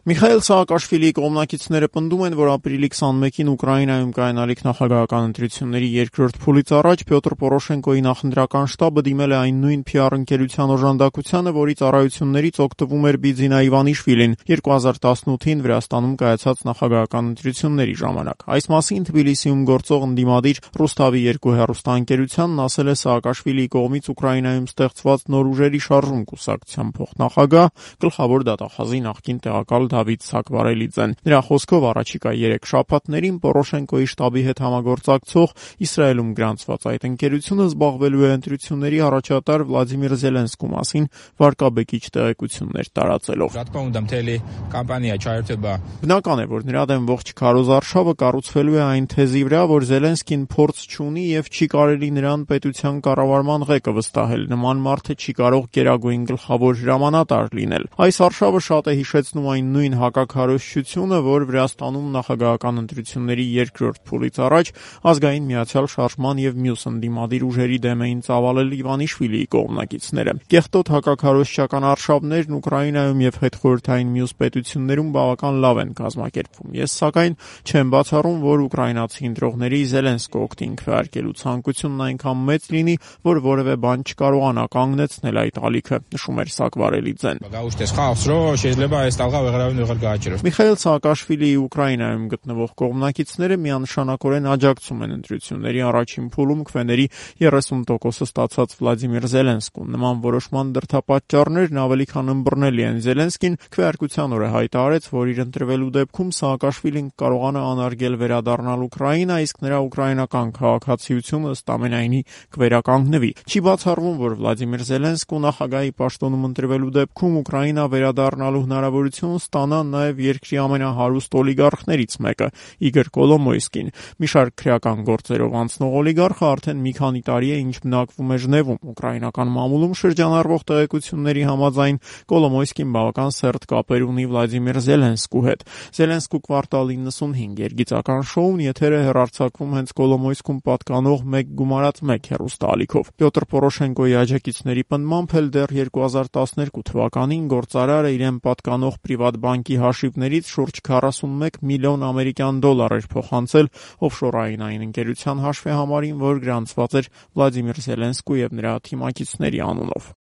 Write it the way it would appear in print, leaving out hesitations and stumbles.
Միխայիլ Սահակաշվիլիի կողմնակիցները պնդում են, որ ապրիլի 21-ին Ուկրաինայում կայանալիք նախագահական ընտրությունների երկրորդ փուլից առաջ Պյոտր Պորոշենկոյի նախընտրական շտաբը դիմել է այն նույն PR ընկերության օժանդակությանը, որի ծառայություններից օգտվում էր Բիձինա Իվանիշվիլին 2018-ին Վրաստանում կայացած նախագահական ընտրությունների ժամանակ։ Այս մասին Թբիլիսիում գործող ընդդիմադիր Ռուսթավի 2 հեռուստաընկերությանն ասել է Սահակաշվիլիի կողմից Ուկրաինայում ստեղծված նոր ուժերի շարժում կուսակցության փոխնախագահ, գլխավոր դատախազի նախկին տեղակալ Դավիթ Սակվարելիձեն։ Նրա խոսքով առաջիկա 3 շաբաթներին Պորոշենկոյի շտաբի հետ համագործակցող Իսրայելում գրանցված այդ ընկերությունը զբաղվելու է ընտրությունների առաջատար Վլադիմիր Զելենսկու մասին վարկաբեկիչ տեղեկություններ տարածելով։ Բնական է, որ նրա դեմ ողջ քարոզարշավը կառուցվելու է այն թեզի վրա, որ Զելենսկին փորձ չունի եւ չի կարելի նրան պետության կառավարման ղեկը վստահել։ Նման մարդը չի կարող գերագույն գլխավոր հրամանատար լինել։ Այս արշավը շատ է հիշեցնում այն նույն հակաքարոզչությունը, որ Վրաստանում նախագահական ընտրությունների երկրորդ փուլից առաջ ազգային միացյալ շարժման եւ մյուս ընդդիմադիր ուժերի դեմ էին ծավալել Իվանիշվիլիի կողմնակիցները։ Կեղտոտ հակաքարոզչական արշավներն Ուկրաինայում եւ հետխորհրդային մյուս պետություններում բավական լավ են կազմակերպվում։ Ես սակայն չեմ բացառում, որ ուկրաինացի ընտրողների Զելենսկու օգտին քվեարկելու ցանկությունն այնքան մեծ լինի, որ որևէ բան չկարողանա կանգնեցնել այդ ալիքը, նշում էր Սակվարելիձեն։ Միխայիլ Սահակաշվիլիի Ուկրաինայում գտնվող կողմնակիցները միանշանակորեն աջակցում են ընտրությունների առաջին փուլում քվեների 30% ստացած Վլադիմիր Զելենսկուն։ Նման որոշման դրդապատճառներն ավելի քան ըմբռնելի են։ Զելենսկին քվեարկության օրը հայտարարեց, որ իր ընտրվելու դեպքում Սահակաշվիլին կարողանա անարգել վերադառնալ Ուկրաինա, իսկ նրա ուկրաինական քաղաքացիությունը ըստ ամենայնի կվերականգնվի։ Չի բացառվում, որ Վլադիմիր Զելենսկուն նախագահի պաշտոնում ընտրվելու դեպքում Ուկրաինա վերադառնալու հնարավորություն ստանա նաև երկրի ամենահարուստ օլիգարխներից մեկը՝ Իգոր Կոլոմոյսկին։ Մի շարք քրեական գործերով անցնող օլիգարխը արդեն մի քանի տարի է ինչ բնակվում է Ժնևում։ Ուկրաինական մամուլում շրջանառվող տեղեկությունների համաձայն Կոլոմոյսկին բավական սերտ կապեր ունի Վլադիմիր Զելենսկու հետ։ Զելենսկու Կվարտալ 95 երգիծական շոուն եթեր է հեռարձակվում հենց Կոլոմոյսկում պատկանող 1+1 հեռուստաալիքով։ Պյոտր Պորոշենկոյի աջակիցների պնդմամբ էլ դեռ 2012 թվականին գործարարը իրեն պատկանող Պրիվատբանկի հաշիվներից շուրջ 41 միլիոն ամերիկյան դոլար էր փոխանցել օֆշորային այն ընկերության հաշվեհամարին, որ գրանցված էր Վլադիմիր Զելենսկու եւ նրա թիմակիցների անունով։